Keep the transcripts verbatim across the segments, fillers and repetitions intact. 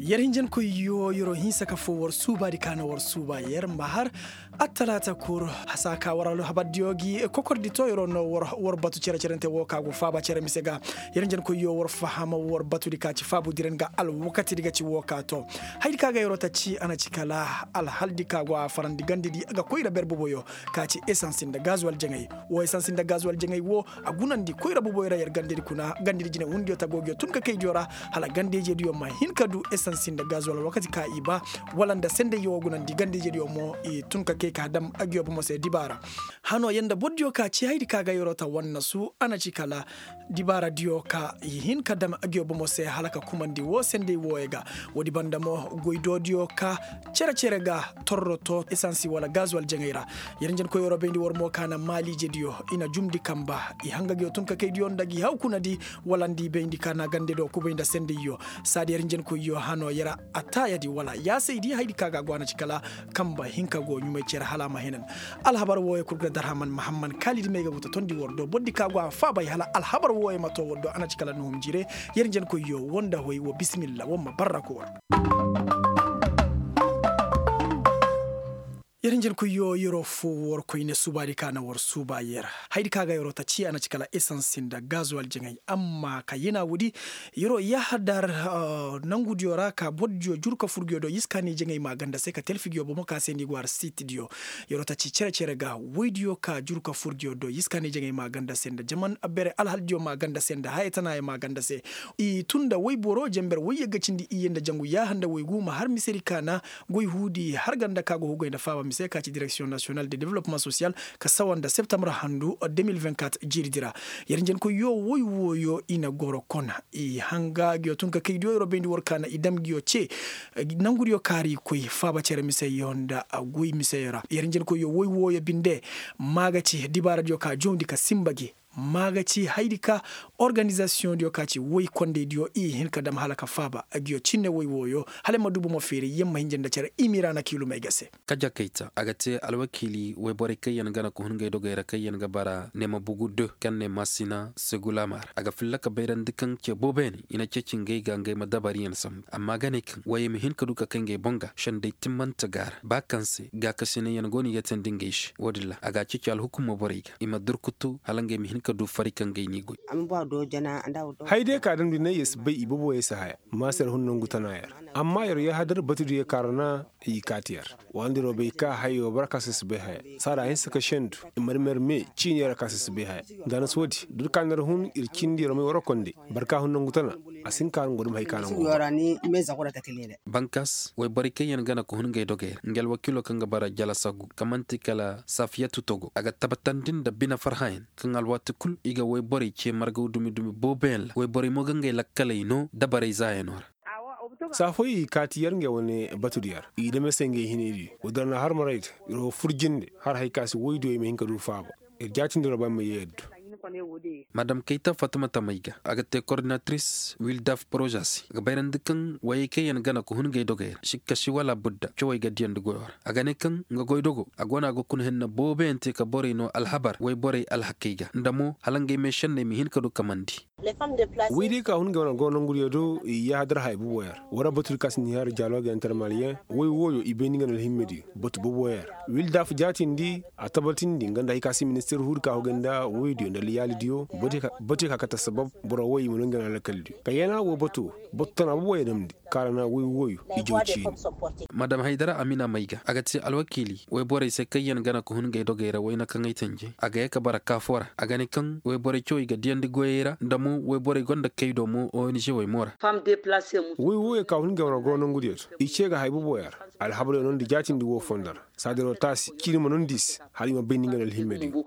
Yer hinjankoyyo yer'o hinsa ka foo war suubaadi ka na war suuba yer ma har attalaata kul. Hasa ka war alhabardiyo gi kokordi to yer'o no war batu cere-cerente woo ka go faaba cere mise ga. Yer hinjankoyyo war faham war batudi ka ci faabudiren ga alwakatidi ga ci woo ka to. Hayadi ka ga yer'o ta ci a na ci kala alhaldi ka go a farandi gandedi ga koyra ber boboyo ka ci esans nda gazuwal jaŋay. Woo esans nda gazuwal jaŋay woo a gunandi koyra boboyo ra yer gandedi kuna gandedi jinewundiyo tagoogiyo tun ka kaydiyo ra. Hala gandejediyo ma hin ka du esans nda gazuwal wakati ka i ba wala nda sendayyo woo gunandi gandejediyo mo i tun ka kay ka dam agiyo bomo se dibaara. Hanoo yer nda bordiyo ka ci hayadi ka ga yer'o ta wannasu a na ci kala dibaaradiyo ka i hin ka dam agiyo bomo se hala ka kumandi woo senday wooyo ga. Woodi banda mo goydoodiyo ka cere-cere ga torroto esansi wala gazuwal jaŋay ra. Yer njenkoyyo bayndi war mo ka na maaliijediyo i na jumndi kamba i hanga ngiyo tun ka kaydiyo nda gi haw kunadi wala nda i bayndi ka na gandediyo kubay nda sendayyo. Saadi yer njenkoyyo hanoo yer a taayadi wala yaasaydi hayadi ka ga a go a na ci kala kamba hinka go ɲumay cere hala a ma hinan. Alhabar wooyo kul ga darhaman mahamman kaalidi may ga go ta tondi war do bordi ka go a faabay hala alhabar wooyo ma to war do a na ci kala nuhum jire. Yer njenkoyyo woo nda hoy woo bisimilla woo ma barra ko war. Yer njenkoyyo yer'o foo war koyne suubaadi ka na war suuba yer. Hayadi ka ga yer'o ta ci a na ci kala esans nda gazuwal jaŋay amma ka yena woodi. Yer'o yahadar nangudiyo ra ka bordiyo juru ka fur ngiyo do yiskaani jaŋay maaganda se ka telfi ngiyo bomo ka se ni go har siitidiyo. Yer'o ta ci cere-cere ga woydiyo ka juru ka fur ngiyo do yiskaani jaŋay maaganda se nda jaman bere alhaldiyo maaganda se nda haya tanaayo maaganda se. I tun nda woyboro jenber woyye ga cindi iyye nda jangu yaaha nda woygu ma har misedi ka na goy huudi har ganda ka go hugay nda faaba mise ka ci direksiyoŋ nasiyonal de development sosiyal ka sawa nda septambar handu de mil vingt-quatre jiiridi ra. Yer njenkoyyo woy wooyo i na goro kona i hanga ngiyo tun ka kaydiyo yer'o bayndi war ka na i dam ngiyo ce nangudiyo kaari koy faaba cere miseyo nda goy miseyo ra yer njenkoyyo woy wooyo binde. Maa ga ci dibaaradiyo ka jawndi ka sinba gi maa ga ci hayadi ka organizasiyoŋdiyo ka ci woy kondaydiyo i hin ka dam hala ka faaba agiyo cinne woy wooyo hala ay ma du bomo feeri yer ma hinja nda cere imiiraana kiilumey ga se. Kaja kayta a ga te alwakiili woyborey kaŋ yaŋ gana ka hun ngey dogey ra kaŋ yaŋ ga bara neema bugu de kaŋ ne maasina segulamar a ga filla ka bayrandi kaŋ ce booboyaŋ i na ceeci ngey ga ngey ma dabariyaŋ sambu amma a ga ne kaŋ woyey ma hin ka du ka kay ngey boŋ ga sendey timmante ga a ra ba kaŋ se gaakasinay yaŋ go no i ga teendi ngey se wo-din ra a ga a ceeci alhukumo borey ga i ma durkutu hala ngey ma hin ka du fari kaŋ ngey n'i goy. Haya day ka damndi ne yer si bay i boobo yer si haya maasar hun nangu tana yer amma yer yahadar batudiyo kaarana i kaati yer. Waandiroo bay ka hayo bara ka se si bay haya saada hinsa ka sendu i marmer me ciini yer ka se si bay haya. Nda na si woodi dut ka na yer hun ir cindi yer may waroo konday barka hun nangu tana a si hin ka har ngo dum hay ka na ngo. Bankas woyborey kaŋ yaŋ gana ka hun ngey dogey ra nga alwakiiloo kaŋ ga bara jalasagu kaŋ man'ti kala safiyatu togo a ga tabatandi nda bine farhayaŋ kaŋ alwaati kul i ga woyborey cee margaw dumi-dumi booboyaŋ ra woyborey mo ga ngey lakkaley no dabarey zaayanoo ra. Saa fooyaŋ i kaati yer ngey wane batu di yer i dam yer se ngey hinay di. Woo din ra na har maray di yer wo fur jinde har haya ka si woy diyo i ma hin ka du faaba. Yer jaatindi yer wo ba yer ma yee yer du. Madam kayta fatumata may ga a ga te kordinatiris wildaf poroza se a ga bayrandi kaŋ woyey kaŋ yaŋ gana ka hun ngey dogey ra sikka si wala budda cawey ga diyandi goyoo ra a ga ne kaŋ nga goydogo a go no a ga kuna henna booboyaŋ te ka borey noo alhabar woyborey alhakey ga nda mo hala ngey meešenney ma hin ka du kamandi. Woy diyo ka hun ngey wane goro nangu diyo do i yahadar haya boobo yer. War batu di ka si ni har dialoog intermaliyeŋ woy wooyo i bay ni nga na alhimmediyo batu boobo yer. Wildaf jaatindi a tabatindi nga nda hay ka si ministeer huudi ka hogay nda woy diyo nda liyaali diyo. Batu ya ka kate sabab boro woy i ma no nga na alkal diyo ka yana woo batu batu tana boobo yer damndi. Kaarana woy wooyo i jaw ciini. Madam haydara amina may ga a ga te alwakiili woyborey se kaŋ yaŋ gana ka hun ngey dogey ra wayna kaŋ ay tanje a ga ye ka bara kaafoo ra a ga ne kaŋ woyborey cawey ga diyandi goyey ra nda mo woyborey gonda kaydo mo ong wey mo ra. Woy wooyo ka hun ngey wane goro nangu diyo do i cee ga haya boobo yer. Alhabaryo nondi jaatindi woo fondo ra saadi yer wo taasi ciini ma nondi i se. Hala i ma bay ni nga na alhimmediyo.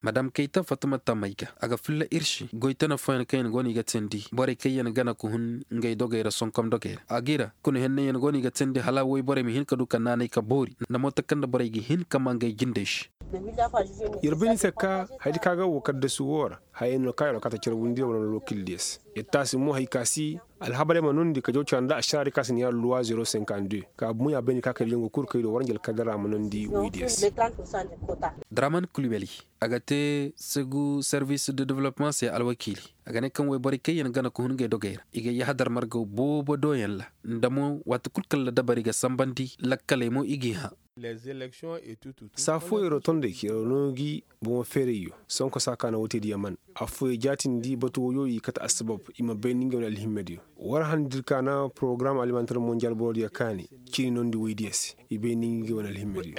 Madam kayta fatumata may ga a ga filla ir se goy tana fooyaŋ kaŋ yaŋ go no i ga teendi borey kaŋ yaŋ gana ka hun ngey dogey ra sonkom dogey ra a ga i ra kuna henney yaŋ go no i ga teendi hala woyborey ma hin ka du ka naanay ka boori nda mooto kaŋ nda borey ga hin ka maa ngey jindey se. Yer bay ni se ka hayadi ka ga woo kaddasu woo ra. hayey no ka yar kata carbundi wala no lokil des. Yer taasi mo hay ka si alhabarey ma nondi ka jaw cara nda ašaraari ka si ni yar luwa zero cinquante deux ka bumo ya bayndi ka kay da jango kul kay do waranji alkadara ma nondi woy des. Draman kulbeli, a ga te segu servis de development se alwakiili. A ga ne kaŋ wayborey kaŋ yaŋ gana ka hun ngey dogey ra i ga yahadar margaw boobo do yaŋ ra. Nda mo waati kul kaŋ ra dabari ga sambandi lakkaley mo i g'i hã. Saa fooyey ro tondey ka yar no gi bomo feerayyo. Sonko saa ka na woy te diya man affooyey jaatindi batu woyo i kate assabab i ma bay nda ngey wane alhimmediyo. War han dir ka na porogaram alimantar monjal borodiyo kaani cini nondi woy diya se. I bay nda ngey wane alhimmediyo.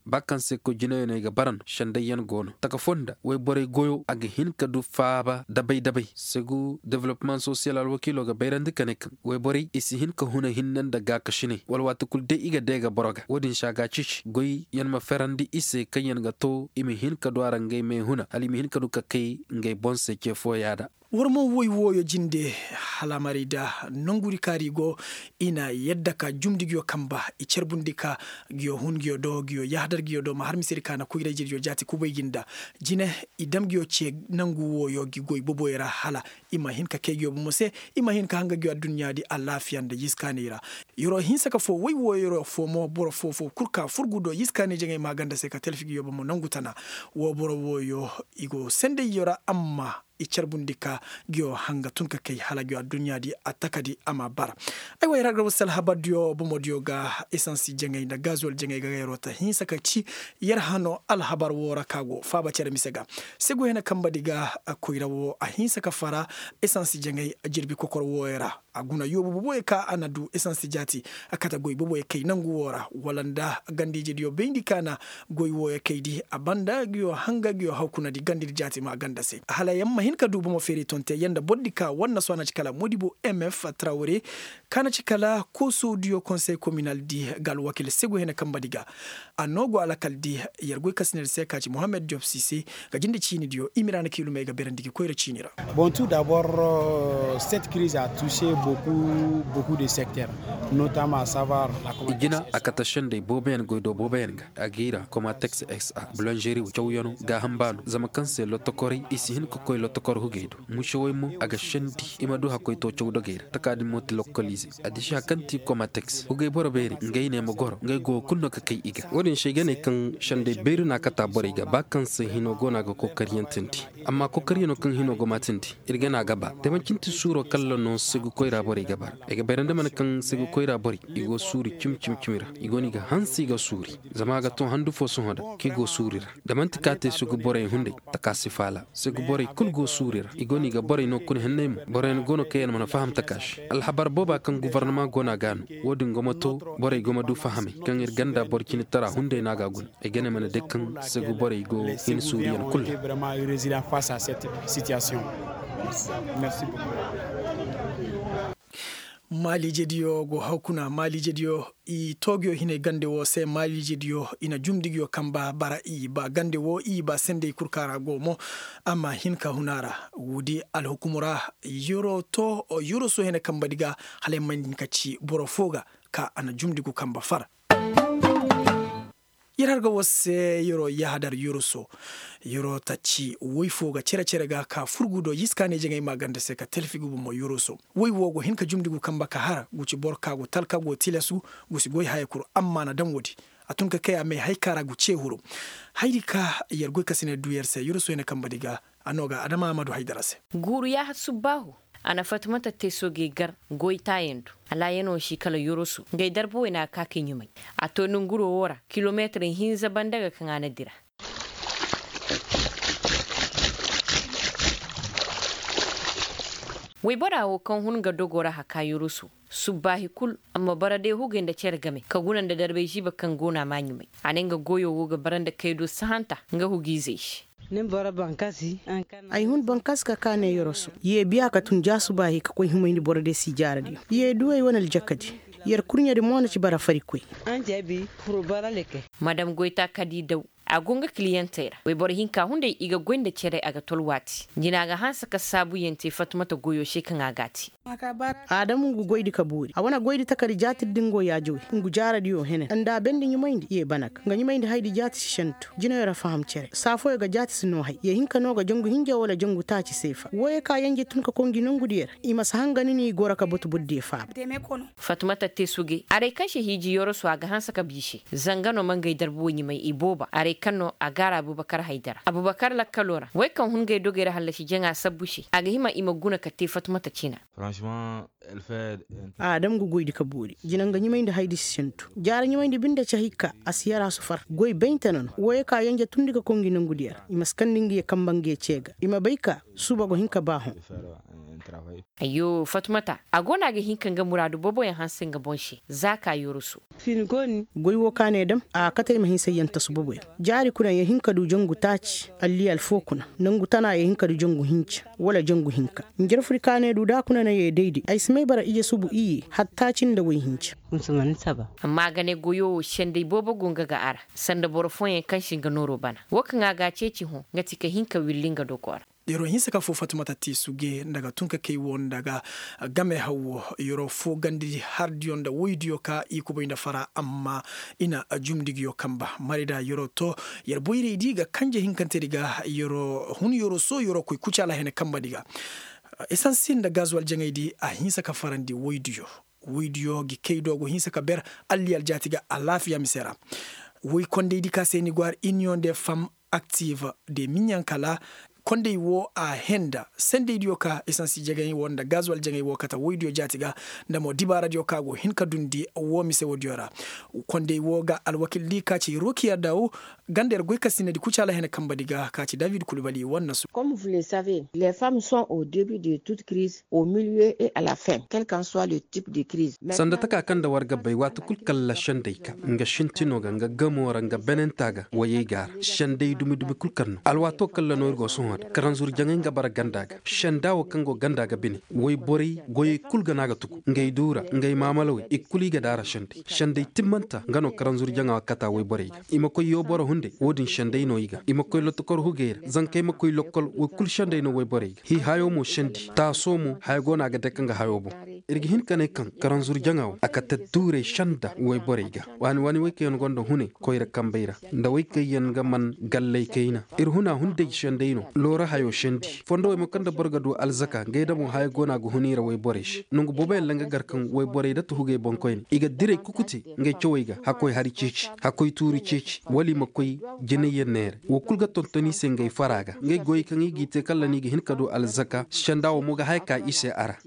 Ba kaŋ se koy jinayaŋ no i ga bara no sendayyaŋ go no taka foo nda wayborey goyo a ga hin ka du faaba dabay dabay segu developmaŋ sosiyal alwakiilo ga bayrandi ka ne kaŋ wayborey i si hin ka huna hinne nda gaakasinay wala waati kul day i ga deega boro ga wo-din se a ga a ceeci goyyaŋ ma ferandi i se kaŋyaŋ ga to i ma hin ka du a ra ngey me huna hala i ma hin ka du ka kay ngey boŋ se ce fooya da. War mo woy wooyo jinde hala a maray da nongudi kaari go i na yadda ka jumndi nguyo kamba i carbundi ka nguyo hun nguyo do nguyo yahadar nguyo do ma har misedi ka na koyra-ijediyo jaati kubay gi nda jine i dam nguyo ce nangu wooyo gi goy boboyo ra hala i ma hin ka kay nguyo bomo se i ma hin ka hanga nguyo adduɲɲaadi alaafiya nda yiskaanay ra. Yer'o hinsa ka foo woy wooyo yer'o foo mo boro foo foo kul ka furgu do yiskaanay jaŋay maaganda se ka talfi nguyo bomo nangu tana. Woo boro wooyo i go sendayyo ra amma i carbundi ka nguyo hanga tun ka kay hala nguyo adduɲɲaadi a takadi a ma bara. Aywa yer har ga wasa alhabardiyo bomodiyo ga esansi jaŋay nda gazol jaŋay ga yer'o ta hinsa ka ci yer hano alhabar woo ra ka go faaba cere mise ga. Segu hene kambadi ga koyra woo a hinsa ka fara esansi jaŋay jirbi kokor wooyo ra. A guna yoobu boboyo ka a na du esansi jaati a kate goy boboyo kay nangu woo ra wala nda ganda-ijediyo bayndi ka na goy wooyo kay di a banda nguyo hanga nguyo hawkunadi gandadi jaati ma ganda se hala yer ma hin ka du bomo feeri tonte yer nda bordi ka war na soo a na ci kala modibo mf trawre ka na ci kala koosodiyo konsey kominaldi ga alwakil segu hene kambadi ga. A noo go alakaldi yer goy kasinedi se ka ci mohammed diop sise ga jinde ciinidiyo i ma ira na kiilumey ga beerandi gi koyra ciini ra. Bon tu dabor, cette kiriz a tuuse boku boku de sekter, notama sabar. I jina a kate sendey booboyaŋ goy do booboyaŋ ga a ga i ra komateks s a bulanžeri cawyaŋo gaaham baano zama kaŋ se lotokorey i si hin ka koy lotokor hugey do. Musewey mo a ga sendi i ma du hakkoy to caw dogey ra taka din mo ti lokolize. Addiši hari kaŋ ti komateks hugey boro beeri ngey ne ma goro ngey goyo kulu no ka kay i ga wo-din se ay ga ne kaŋ sendey beeri no a kata borey ga ba kaŋ se hino go no a ga kokariyantandi. Amma kokariyano kaŋ hino go maatandi ir ga ne a ga ba da manci nti suuro kalla no segu koyra borey ga bara. Ay ga bayrandi mana kaŋ segu koyra borey i go suuri cimi cimi cimi ra i go no i ga hanse i ga suuri. Zama a ga to handu fo sohõ da kaŋ i go suuri ra da manti ka te segu borey hunday taka si faala. Segu borey kulu go suuri ra i go no i ga borey no kuna henney mo boroyaŋ go no kaŋ yaŋ mana faham taka se alhabar booba kaŋ gofornama go no a ga no. Wo-din go ma to borey go ma du fahamey kaŋ ir ganda boro cindi tara hunday no a ga a guna. Ay ga ne mana day kaŋ segu borey go hin suuriyaŋ kulu ra. Maaliijediyo go haw kuna maaliijediyo i toogiyo hinay gande woo se maaliijediyo i na jumdigiyo kamba bara i ba gande woo i ba sendey kul kaŋ a ra go mo. A ma hin ka hun a ra. Woodi alhukumu ra yeroo to yeroo soo hene kambadi ga hala ay ma hin ka ci boro foo ga ka a na jumdigu kamba far. Yer har ga war se yeroo yahadar yoroso. Yeroo tacci woy foo ga cere-cere ga ka furgu do yiskaaney jaŋay maaganda se ka talfi guba mo yoroso. Woy woo go hin ka jumndi gu kamba ka har gu ci boro ka go talka go tilasu gu si goy haya kul amma a na daŋ woodi. A tun ka kay a may hay ka ra gu ce huru. Hayri ka yer goy ka si ne du yer se yoroso ya ne kambadi ga. A no ga adama a ma du haydara se. Guuru yaaha subbaahu. A na fatimata te soogey gar goy taayaŋ du. Alaayanoo si kala yoroso ngey darba waynaa ka kay ɲumay. A to nonguroo woo ra kilomeetir hinza banda ga kaŋ a na dira. Wayboraa woo kaŋ hun nga dogoo ra hakaa yoroso. Subbaahi kul, a ma bara day hugey nda cere game ka guna nda darbay ziiba kaŋ go no a maa ɲumay. A ne nga goyoo woo ga bara nda kay do sahanta nga hugiizey se. Ay hun bankasi ka kaa ne yoroso yee biya ka tun jaasubaahi ka koy himayndi boro de si jaaradiyo yee du ay wane aljakadi. Yer kurɲedi mo na ci bara farikoy. Madam goytaa ka di daw. A go nga kiliyantey ra wayboro hinka hunday i ga goy nda cere a ga tolwaati. Jina ga hanse ka saabuyaŋ te fatumata goyo se kaŋ a g'a te. Aadam ngu goydi ka boori a wane goydi takari jaatir din go yaajawey. Ngu jaaradiyo henen nda a bendi ɲumayndi ye bana ga nga ɲumayndi haydi jaati si sentu jinayo ra faham cere saa fooyo ga jaati si noo hay ye hinka no ga jangu hinja wala jangu taaci seefa wooyo ka yanje tun ka koy ngi nongudiyo ra. I ma si hanga ni no i goro ka batu bordiyo faaba. Fatumata te suge aray kaŋ se hiiji yoroso a ga hanse ka bii se. Zanga no ma ngey darbuwo ɲumay i booba aray kaŋ no a gaara abubakar haydara abubakar lakkalo ra wey kaŋ hun ngey dogey ra hallasi jaŋa sabbu se a ga hima i ma guna ka te fatumata cina. Aadam ga goydi ka boori jina nga ɲumayndi haydi si sintu jaara ɲumayndi binde cahi ka a si yara sufar goy bayntana no wooyo ka yanja tundi ka koy ngi nongudiyo ra i ma si kandi ngi ye kamba ngi ye cee ga i ma bay ka suuba go hin ka ba hõ. Ayyo fatumata a go no a ga hin ka nga muraadu booboyaŋ hanse nga boŋ se. Za ka yoroso. Goy wo ka ne dam a kate ay ma hinsa yaŋ tasu boboyaŋ jaari kuna ye hin ka du jangu taaci alliyal foo kuna nangu tana ye hin ka du jangu hinca wala jangu hinka. Njarfuri ka ne du da kuna na ye dayday ay si may bara ije subu iyye hattaaci nda woy hinca. Amma a ga ne goyo wo senday boobo go nga ga a ra sanda boro fooyaŋ kaŋ si nga nooro bana wo kaŋ a ga a ceeci hõ nga ti ka hin ka willi nga dogo ra. Yeroo hinsa ka foo fatumata te suge nda ga tun ka kay wo nda ga game haw wo yeroo foo gandi hardiyo nda woydiyo ka i kubay nda fara amma i na jumndi nguyo kamba marida yeroo to. Yer boyraydi ga kanje hinkanteedi ga yeroo hun yeroo soo yeroo koy kucaala hene kambadi ga. Esansi nda gazuwal jaŋaydi a hinsa ka farandi woydiyo. Woydiyo gi kay do go hinsa ka ber alliyal jaati ga alaafiya mise ra. Woy kondaydi ka se ni go har iniyoŋ de fam aktiv de miɲaŋ kala kondey wo a henda sendeydiyo ka esansi jaŋay wo nda gazuwal jaŋay wo kate woydiyo jaati ga. Nda mo dibaaradiyo ka go hin ka dundi wo mise woodiyo ra. Kondey wo ga alwakildi ka ci rokiya daw ganda yer goy kasinadi kucaala hene kambadi ga ka ci david kulbali wanna su. Comme vous le savez les femmes sont au début de toute crise au milieu et à la fin quel qu'en soit le type de crise. Sanda taka kaŋ nda war ga bay waati kul kalla sendey ka nga sintino ga nga gamo ra nga benenta ga wayey ga a ra sendey dumi dumi kul kaŋ no alwaato kalla no ir go sohõ da karanzur jaŋay nga bara ganda ga senda wo kaŋ go ganda ga bine wayborey goyey kul ga no a ga tugu ngey duura ngey maamalawey i kul i ga daara sendey sendey timmanta nga no karanzur jaŋa wa kata wayborey ga i ma koy yooboro hunday wo-din sendey no i ga i ma koy lotokor hugey ra zankey ma koy lokkol way kul sendey no wayborey ga hii hayo mo sendi taaso mo haya go no a ga dake nga hayo boŋ. Ir ga hin ka ne kaŋ karanzur jaŋa wo a kate duurey senda wayborey ga waani waani way kaŋ yaŋ gonda hunay koyra kambey ra nda way kaŋ yaŋ ga man galley kayna ir huna hunday sendey no loora hayo sendi fondo way mo kaŋ nda boro ga du alzaka ngey da mo haya go no a ga hun i ra wayborey se nangu boobo yaŋ ra nga gar kaŋ wayborey da tuhugey boŋkoyne i ga direy kuku te ngey cawey ga hakkoy hari ceeci hakkoy tuuri ceeci wala i ma koy jinayyaŋ neera wo kul ga tonton i se ngey fara ga ngey goyey kaŋ i g'i te kala no i ga hin ka du alzaka senda wo mo ga haya ka i se a ra.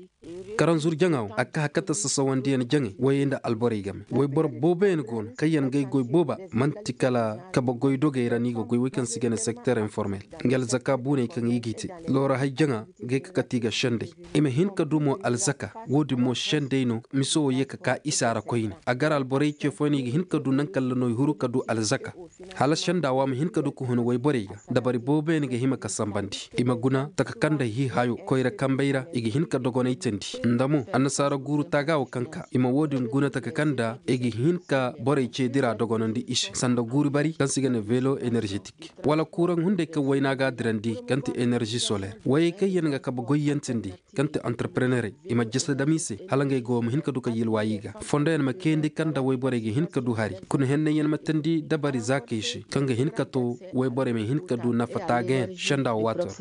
Karanzur jaŋa wo a ga ka hakata sasawandiyaŋ jaŋay wayey nda alborey game wayboro booboyaŋ go no kaŋ yaŋ ga ay goy booba man'ti kala kabe goy dogey ra no i ga goy wey kaŋ se i ga ne sekter informel nga alzaka buuney kaŋ i g'i te loora hay jaŋa ga ay ka kate i ga sendey i ma hin ka du mo alzaka wo-din mo sendey no mise wo ye ka ka isa ra koyne a gar alborey ce fooyaŋ no i ga hin ka du naŋ kalla no i huru ka du alzaka hala senda wo a ma hin ka du ka hun wayborey ga dabari booboyaŋ ga hima ka sambandi i ma guna taka kaŋ nda hii hayo koyra kambey ra i ga hin ka dogonay teendi nda mo annasaara guuru taaga wo kaŋ ka i ma wo-din guna taka kaŋ nda i ga hin ka borey ce dira dogonandi i se sanda guuru bari kaŋ se i ga ne velo energetik wala kuuraŋ hunday kaŋ wayna ga a dirandi kaŋ ti enerzi soler wayey kaŋ yaŋ ga kabe goyyaŋ teendi kaŋ ti antarprenerey i ma jese dam i se hala ngey go ma hin ka du ka yilwa i ga fondoyaŋ ma kayandi kaŋ nda wayborey ga hin ka du hari kuna henney yaŋ ma teendi dabari zaakey se kaŋ ga hin ka to wayborey ma hin ka du nafa taagayaŋ senda wo waato ra.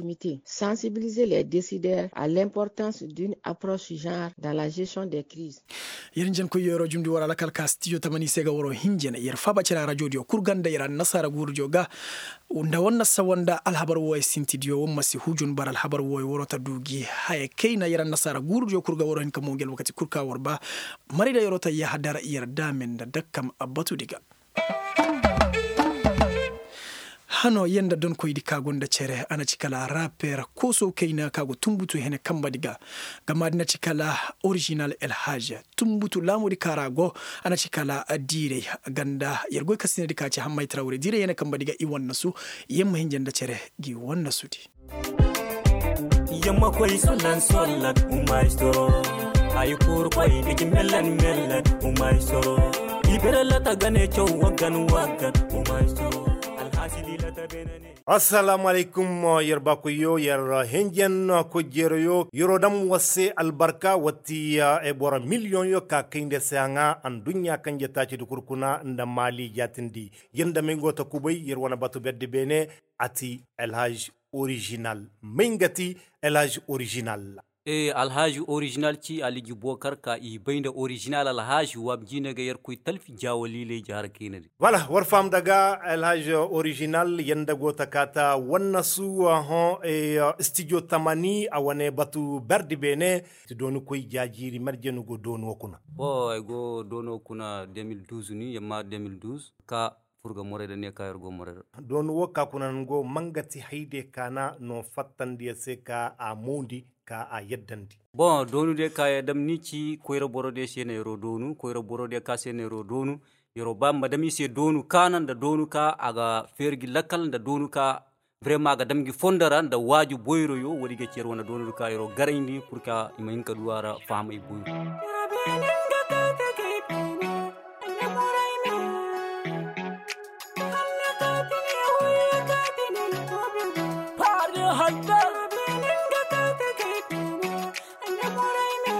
Sensibiliser les décideurs à l'importance d'une approche genre dans la gestion des crises. Yer njenkoy yeroo jumndi war alakal ka stijo tamani se ga waroo hinjene yer faaba cere arajo diyo kul ganda yer annasaara guuru diyo ga nda war na sawa nda alhabar wooyo sinti diyo war ma si hujun bara alhabar wooyo waroo ta du gi haya kayna yer annasaara guuru diyo kul ga waroo hin ka mo ngi alwakati kul ka war ba. Maray da yeroo ta yahadar yer daame nda dakkam abbatudi ga. Hano yer nda donkoydi ka gonda cere a na ci kala raper kooso kayna ka go tunbutu hene kambadi ga. Gamaadi na ci kala original elhaj tunbutu laamudi ka ra go. A na ci kala diirey ganda yer goy kasinadi ka ci hammay tarawre diirey hene kambadi ga i wannasu. Yer ma hinja nda cere gi wannasudi. Yamma koy sollan sollan umaistoro. Ay kur koy digi mellan mellan umaistoro. Ibere lata gane chow wagan wagan umaistoro. Alhasi. Assalaamu alaykum. Yer baakoyyo, yer henjen koy jeerayo, yer'o dam war se albarka. Watti boro miliyoŋyo ka kay nda se a ŋaa aduɲɲa kanje taaci di kul kuna nda maali jaatindi. Yer nda may go ta kubay yer wane batu berdi beene. A ti elhaj orižinal. May nga ti elhaj orižinal? Ee, alhaaži orižinal ci aliji bookar ka i bay nda orižinal alhaaži waab jiine ga yerkoy talfi jaawaliley jaara kayna di. Wala war faham daga alhaaži orižinal yanda go ta kaata wannasu. Hõ, stijo tamani a wane batu berdi beene. Ti dooni koy jaajiiri marje ni go dooni wo kuna? Bo ay go dooni wo kuna de mil duuz ni yamma de mil duuz ka fur ga morey da ne ka yer go morey da. Dooni wo ka kuna ni go mangati hayde ka na no fattandi yer se ka a moondi ka a yaddandi. Bon doonu de ka yer dam ni ci koyra boro de se na yer'o doonu koyra boro de ka se na yer'o doonu. Yer'o ba ma dam i se doonu ka na nda doonu ka a ga feeri gi lakal nda doonu ka. Brema a ga dam gi fondo ra nda waaju boyroyo woodi ga ci yer wane doonu ka yer'o garayndi pur ka i ma hin ka du a ra fahamay boyro.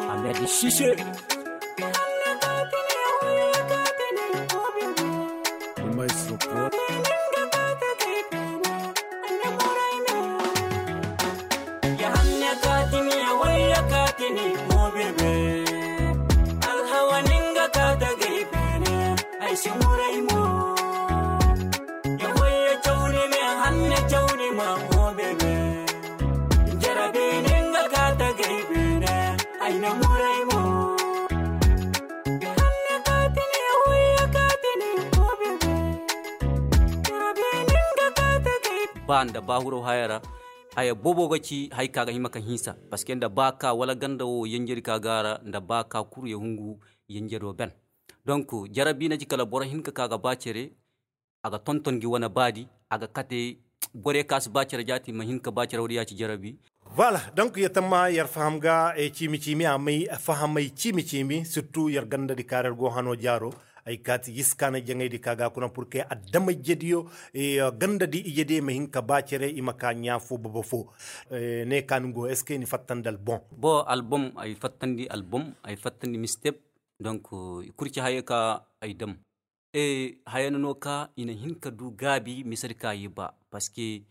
Ahmed Chiche. Le maestro pro. Alhawa ninga ka ta gay beene ay si muray mo. Ya wayya cawni me hanne cawni ma mo bebe. Jarabi ninga ka ta gay beene ay na muray mo. Ya hanne ka tini ya wayya ka tini mo bebe. Jarabi ninga ka ta gay. Ba nda ba huro hayara. Haya boobo ga ci hay ka ga hima ka hinsa parce que nda ba ka wala ganda wo yanjadi ka ga a ra nda ba ka kuru ya hungu. Yanjado ben donc jarabi na ci kala boro hinka ka ga ba cere. A ga tonton gi wane baadi a ga kate. Borey ka si ba cere jaati ma hinka ba cere woodi ya ci jarabi. Voilà donc ya tamma yer faham ga ciimi ciimi a may fahamay ciimi ciimi surtout yer gandadi ka ra yer go hano jaaro. Ay kaati yiskaana jaŋaydi ka ga kuna pur ke adama ijediyo gandadi ijediyo ma hin ka ba cere i ma ka ɲaa fo baba fo. Ne ka ni go est ce que ni fattandi album? Bo album ay fattandi album ay fattandi mistep. Donc i kul ci haya ka ay dam. Haya na no ka i na hin ka du gaabi misedi ka i ba parce que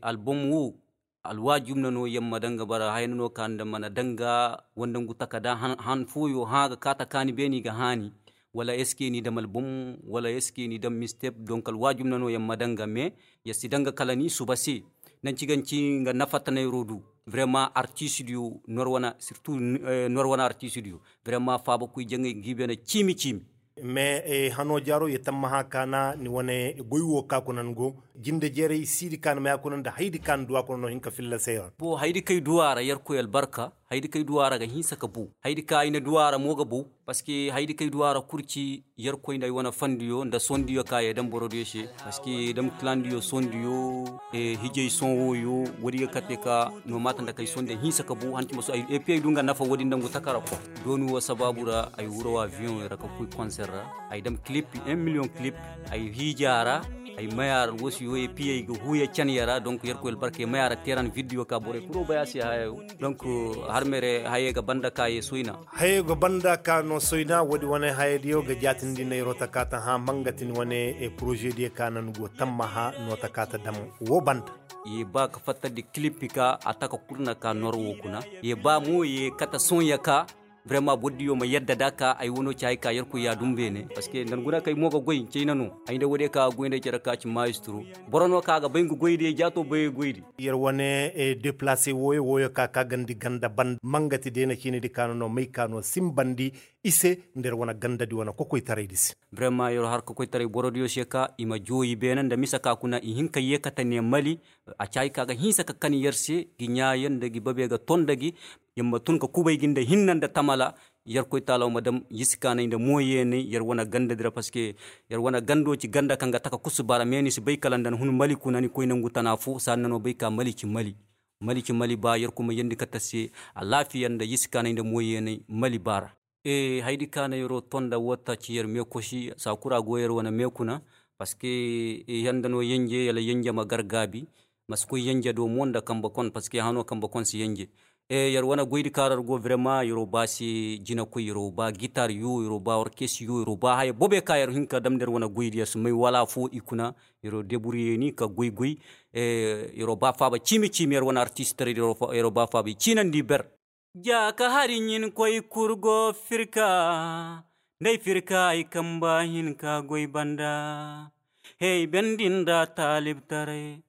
album wo alwaajum na no yamma daŋ ga bara haya na no ka nda mana daŋ ga wanda ngu takada han fooyo hã ga kaata ka ni beeni ga haani. Wala est ce que ni dam album wala est ce que ni dam mistep donc alwaajum na no yamma daŋ ga mais ya si daŋ ga kala ni suba se. Nanci ga nci nga nafa tanayro du vraiment artiste diyo nor wana surtout nor wana artiste diyo vraiment faabakoy jaŋay ga i bene ciimi ciimi. Mais hano jaaro ye tammaha kaana ni wane goy wo ka kuna ni go jinde jeeray siidi kaana maya kuna nda haydi kaana duwa kuna no hin ka filla se yaŋ. Bo haydi kay duwa ra yerkoy albarka haydi kay duwa ra ga hinsa ka bow haydi ka ay na duwa ra mo ga bow. Parce que haydi kay duwa ra kurci yerkoy nda ay wane fandiyo nda sondiyo ka ye dam borodiyo se. Parce que dam kilandiyo sondiyo hijay son woyo woodi ga kate ka no maata nda kay sondiyo hinsa ka bow hanci ma so ay epi ay du nga nafa woodi nda ngu takara ko. Dooni wo sabaabu ra ay wuro avion ra ka koy konser ra. Ay dam kilip un miliyoŋ kilip. Ay hiija ra ay maya ra alwasiyo ye piyey ga huuya caniya ra donk yerkoy albarka ye maya ra teeran vidiyo ka borey kuro bay a se hayayo. Donk har mere hayey ga banda ka ye soyna. Hayey ga banda ka no soyna woodi wane hayadiyo ga jaatindi nayro taka ta hã mangati ni wane porozediyo ka na ni go tammaha no taka ta dam wo banda. Ye ba ka fattandi kilip ka a taka kurna ka nor wo kuna ye ba mo ye kate sonya ka. Vraiment bordiyo ma yadda da ka ay wano ci hay ka yerkoy ya dum beene parce que nda ni guna kay mo ga goy cayna no. Ay nda woodiyo ka ga goy nda cere ka ci maestro. Boro no ka ga bay nga goydi ay jaato bay goydi. Yer wane deplace wooyo wooyo ka ka gandi ganda banda mangati deena ciinidi ka no no may ka no simbandi i se nda yer wane gandadi wane kokoytaraydi se. Vraiment yer har kokoytaray borodiyo se ka i ma jooyi beene nda mise ka kuna i hin ka yeekate ne mali. A ci hay ka ga hinsa ka kan yer se gi ɲaayo nda gi babe ga ton nda gi. Yer ma tun ka kubay gi nda hinna nda tamala. Yerkoy taalaw ma dam yisi kaanay nda mooyeenay yer wane gandadi ra parce que yer wane gando ci ganda kaŋ ga taka kusu bara mais ni si bay kala nda ni hun mali kuna ni koy nangu tana fo saadi na no bay ka mali ci mali. Mali ci mali ba yerkoy ma yandi kate se. Alaafiya nda yisi kaanay nda mooyeenay mali baara. Haydi kaana yer'o ton nda woo ta ci yer meekosi saa kul a go yer wane meekuna. Parceque i handa no yenje yala yenje ma gar gaabi. Ma si koy yenje do mo nda kambe kon parceque hano kambe kon si yenje. Yer wane goydi kaŋ ra go vrema yeroo ba se jinakoy yeroo ba gitar yo yeroo ba orkes yo yeroo ba haya bobe ka yer hin ka dam nda yer wane goydi yer si may wala foo i kuna. Yeroo deburyeeni ka goy goy. Yeroo ba faaba ciimi ciimi yer wane artistaray yeroo ba faaba i ciinandi ber. Ja ka hari ɲin koy kurgo firka nda ay firka ay kamba hinka goy banda. Hey bendin da taalibtaray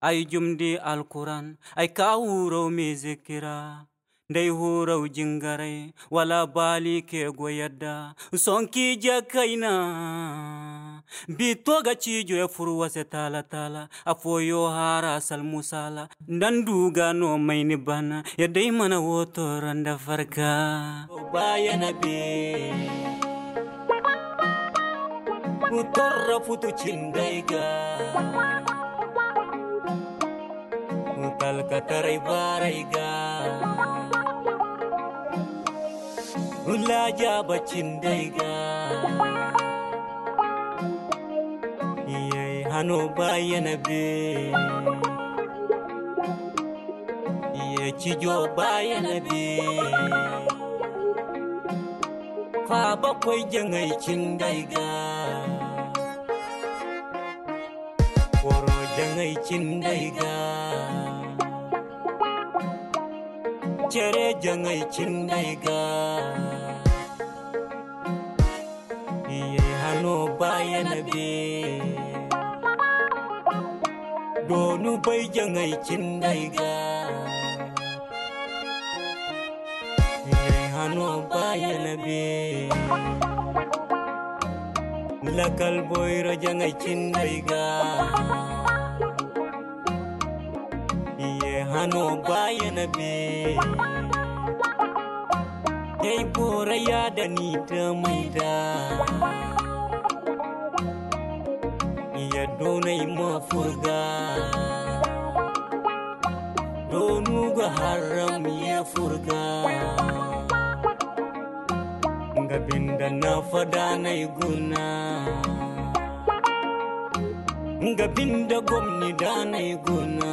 ay jumdi alkuran ay ka huraw mizikira. Nda ay huraw jingaray wala baali ke go yadda. Sonki jakayna bito ga ciijo ya furu wase taala taala. Afooyo hara salmusala nda nduga no may ni bana. Yadda ay mana woo torra nda farka. Baayana be torra futu cinday ga. Talkataray baaray ga laajaaba cinday ga. Iyay hano baayana be. Iyay cijo baayana be. Faaba koy jaŋay cinday ga. Koro jaŋay cinday ga. Cere jaŋay cinday ga. Iyay hano baayana be. Doonu bay jaŋay cinday ga. Iyay hano baayana be. Lakal boyro jaŋay cinday ga. Iyay hano baayana be. Day boro yaada ni tamay da. Iya doonay ma furga. Doonu ga haram ye furga. Nga binda na fadaanay guna. Nga binda gomni daanay guna.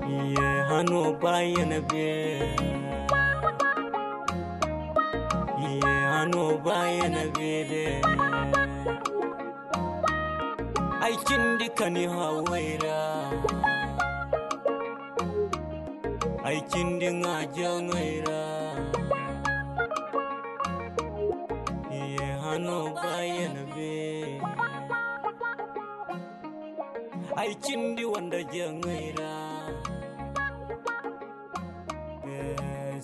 Iye hano baayana be. Iye hano baayana be de. Ay cindi kani haway ra. Ay cindi ŋaajaŋay ra. Iye hano baayana be. Ay cindi wanda jaŋay ra.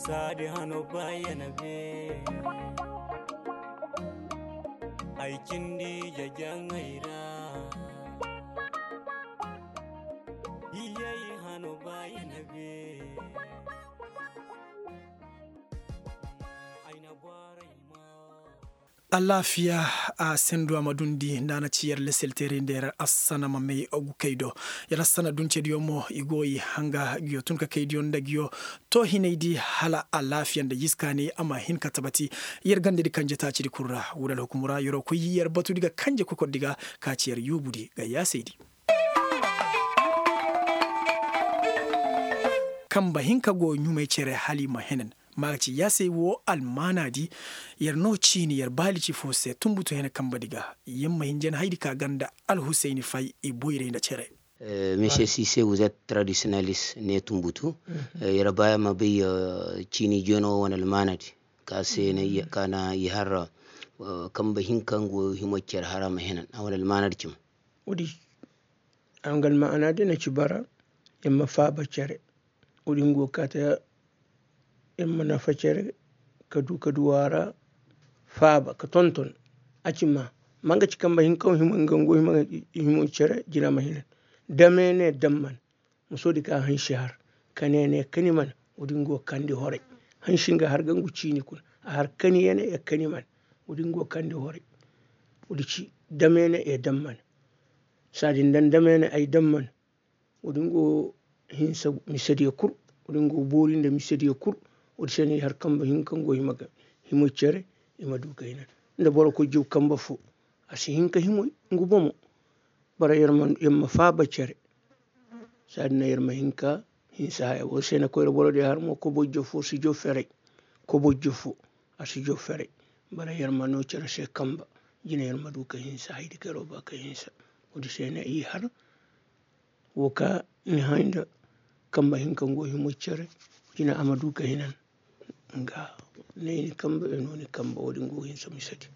Saadi hano baayana be. Ay cindi jajaŋay ra. Iyay hano baayana be. Ay na baaray ma. Alaafiya a sendu a ma dundi nda a na ci yer leselteerey nda yer assana ma may agu kay do. Yer assana duncediyo mo i go i hanga giyo tun ka kaydiyo nda giyo. To hinaydi hala alaafiya nda jiskaani a ma hin ka tabati. Yer gandedi kanje taacidi kul ra wudal hukumu ra yeroo koy yer batudi ga kanje kokordi ga ka ci yer yuubudi ga yaasaydi. Kamba hinka go ɲumay cere hala i ma henan. Maaga ci yaasay woo almaanaadi. Yer no ciini yer baali ci foo se tunbutu hene kambadi ga. Yer ma hinjan haydi ka ganda alhusayni fay i boyray nda cere. Monsieur sise wuzet tradisiyonalis ne tunbutu. Yer baaya ma bay ciini jono wane almaanaadi ka se na i har kamba hinka ngo himo cere hara ma henan a wane almaanaadi cim. Woodi a nga almaanaadi na ci bara. Yer ma faaba cere. Woodi ngo kaata yer ma nafa cere ka du ka du a ra faaba ka tonton. A ci ma ma nga ci kamba hinka hima nga ngo hima cere jina ma hinan. Dame ne damman. Musoodi ka hansi har ka ne ne kani man. Woodi ngo kandi horay. Hansi nga har ga ngu ciini kuna a har kani yene ya kani man. Woodi ngo kandi horay. Woodi ci dame ne ya damman. Saadi nda dame ne ay damman. Woodi ngo hinsa misediyo kul. Woodi ngo boori nda misediyo kul. Woodi se no i har kamba hinka ngo hima cere i ma du ka hinan. Nda boro koy jaw kambe foo, a si hin ka himay ngu bomo. Bara yer ma faaba cere. Saadi na yer ma hin ka hinsa haya wo se na koyra boro di har mo kobojjo foo si jaw feray. Kobojjo foo a si jaw feray. Bara yer ma noo cere se kambe. Jina yer ma du ka hinsa haydi ka yer wo ba ka hinsa. Wo-din se na i har wo ka ni hay nda kambe hinka ngo himo cere. Jina a ma du ka hinan. Nga ne ni kambe e no ni kambe wo-din go hinsa mise di.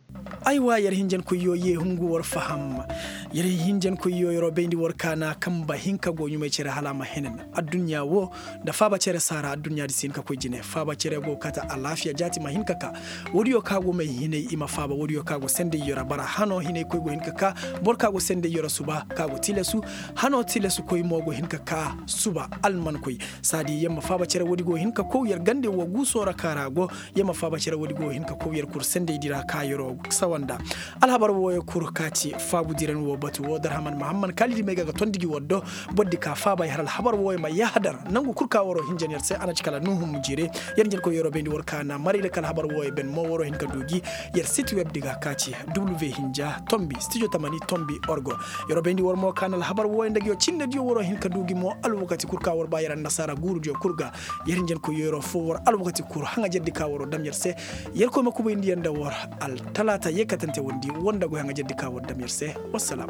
Aywa yer hinjankoyyo ye hungu war faham. Yer hinjankoyyo yeroo bayndi war ka na kambe hinka go ɲumay cere hala a ma hinan. Adduɲɲa wo nda faaba cere saara adduɲɲa di si hin ka koy jine faaba cere go kata alaafiya jaati ma hin ka ka. Woodiyo ka go may hinay i ma faaba woodiyo ka go sendayyo ra bara hano hinay koy go hin ka ka. Boro ka go sendayyo ra suba ka go tilasu. Hano tilasu koy mo go hin ka ka suba alman koy. Saadi yer ma faaba cere woodi go hin ka kow yer gande wo guusoo ra ka ra go. Yer ma faaba cere woodi go hin ka kow yer kur sendaydi ra ka yeroo sawa nda. Alhabar wooyo kur ka ci faabu diran wo batu wo darhaman mahamman kaalidi may ga ga tondi gi war do. Bordi ka faaba yer alhabar wooyo ma yahadar nangu kur ka waroo hinjan yer se a na ci kala nuhum jire. Yer njen koy yeroo bayndi war ka na maray da ka alhabar wooyo ben mo waroo hin ka du gi. Yer siti web di ga ka ci w hinja tombi studio tamani tombi orgo. Yeroo bayndi war mo ka na alhabar wooyo nda gi yo cindediyo waroo hin ka du gi mo alwakati kur ka war ba yer annasaara guurudiyo kur ga. Yer njen koy yeroo foo war alwakati kur haŋajerdi ka waroo dam yer se. Yer koy ma kubayndi yer nda war altalaata yeekatante wondi war nda goy haŋajerdi ka war dam yer se. Wassalam.